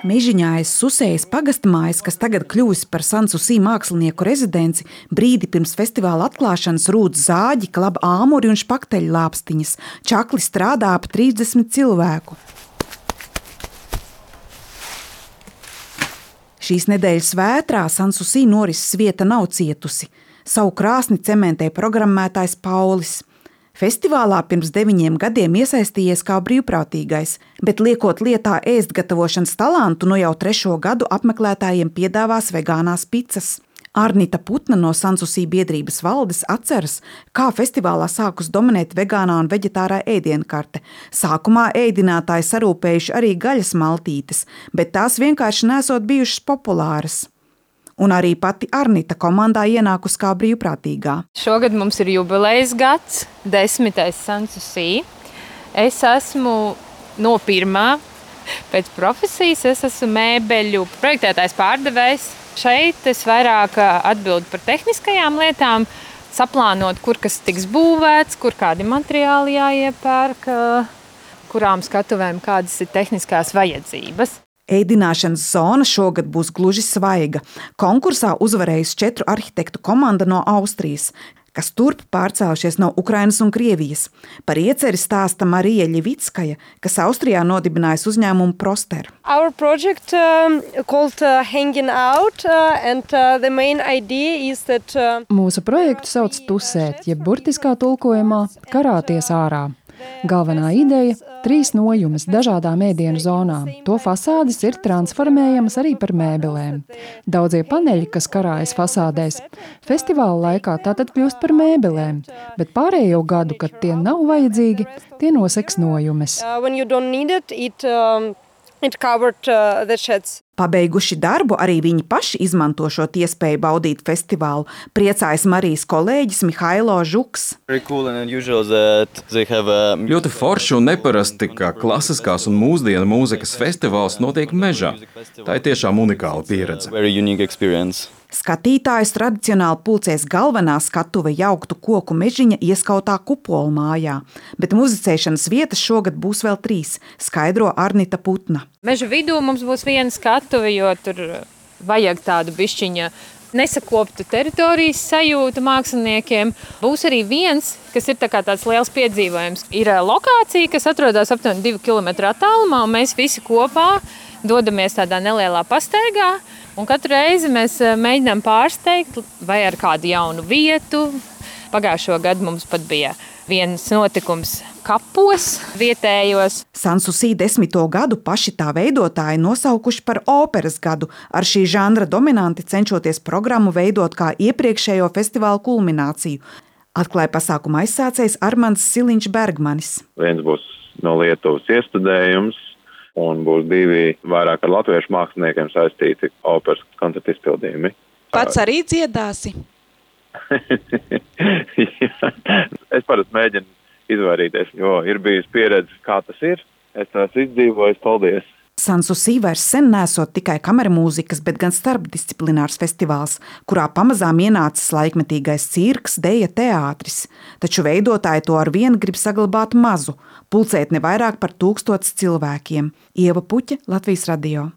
Mežiņā aiz Susējas pagastmājas, kas tagad kļuvusi par Sansusī mākslinieku rezidenci, brīdi pirms festivāla atklāšanas rūc zāģi, klaba āmuri un špakteļu lāpstiņas. Čakli strādā ap 30 cilvēku. Šīs nedēļas vētrā Sansusī norises vieta nav cietusi. Savu krāsni cementē programmētājs Paulis. Festivālā pirms 9 gadiem iesaistījies kā brīvprātīgais, bet liekot lietā ēst gatavošanas talantu, no jau 3. gadu apmeklētājiem piedāvās vegānās picas. Arnita Putna no Sansusī biedrības valdes atceras, kā festivālā sākus dominēt vegānā un veģetārā ēdienkarte. Sākumā ēdinātāji sarūpējuši arī gaļas maltītes, bet tās vienkārši nesot bijušas populāras. Un arī pati Arnita komandā ienākus kā brīvprātīgā. Šogad mums ir jubilejas gads, 10. Sansusī. Es esmu no pirmā. Pēc profesijas es esmu mēbeļu projektētājs pārdevējs. Šeit es vairāk atbildu par tehniskajām lietām, saplānot, kur kas tiks būvēts, kur kādi materiāli jāiepērk, kurām skatuvēm kādas ir tehniskās vajadzības. Ēdināšanas zona šogad būs gluži svaiga. Konkursā uzvarējusi 4 arhitektu komanda no Austrijas, kas turp pārcēlušies no Ukrainas un Krievijas. Par ieceri stāsta Marija Ļevickaja, kas Austrijā nodibinājusi uzņēmumu Proster. Our project called Hanging Out and the main idea is that Mūsu projektu sauc tusēt, jeb burtiskā tulkojumā karāties ārā. Galvenā ideja – 3 nojumes dažādām ēdienu zonām. To fasādes ir transformējamas arī par mēbelēm. Daudzie paneļi, kas karājas fasādēs, festivāla laikā tātad kļūst par mēbelēm, bet pārējo gadu, kad tie nav vajadzīgi, tie noseks nojumes. Pabeiguši darbu, arī viņi paši izmanto šo iespēju baudīt festivālu. Priecājas Marijas kolēģis Mihailo Žuks. Ļoti forši un neparasti, ka klasiskās un mūsdienu mūzikas festivāls notiek mežā. Tā ir tiešām unikāla pieredze. Skatītājus tradicionāli pulcēs galvenā skatuve jauktu koku mežiņa ieskautā kupola mājā, bet muzicēšanas vietas šogad būs vēl 3, skaidro Arnita Putna. Meža vidū mums būs viena skatuve, jo tur vajag tādu bišķiņa nesakoptu teritorijas sajūtu māksliniekiem. Būs arī viens, kas ir tāds liels piedzīvojums. Ir lokācija, kas atrodas aptuveni 2 km attālumā, un mēs visi kopā dodamies tādā nelielā pastaigā. Un katru reizi mēs mēģinām pārsteigt vai ar kādu jaunu vietu. Pagājušo gadu mums pat bija viens notikums kapos vietējos. Sansusī 10. gadu paši tā veidotāji nosaukuši par operas gadu, ar šī žanra dominanti cenšoties programmu veidot kā iepriekšējo festivālu kulmināciju. Atklāja pasākuma aizsācējs Armands Siliņš Bergmanis. Viens būs no Lietuvas iestudējums, un būs 2 vairāk ar latviešu māksliniekiem saistīti operas koncertu izpildījumi. Pats arī dziedāsi? Es parasti mēģinu izvairīties, jo ir bijusi pieredze, kā tas ir. Es esmu izdzīvojis, paldies! Sansusī vairs sen nesot tikai kameramūzikas, bet gan starpdisciplinārs festivāls, kurā pamazām ienācis laikmetīgais cirks, deja, teātris. Taču veidotāji to ar vienu grib saglabāt mazu, pulcēt ne vairāk par 1000 cilvēkiem. Ieva Puķe, Latvijas radio.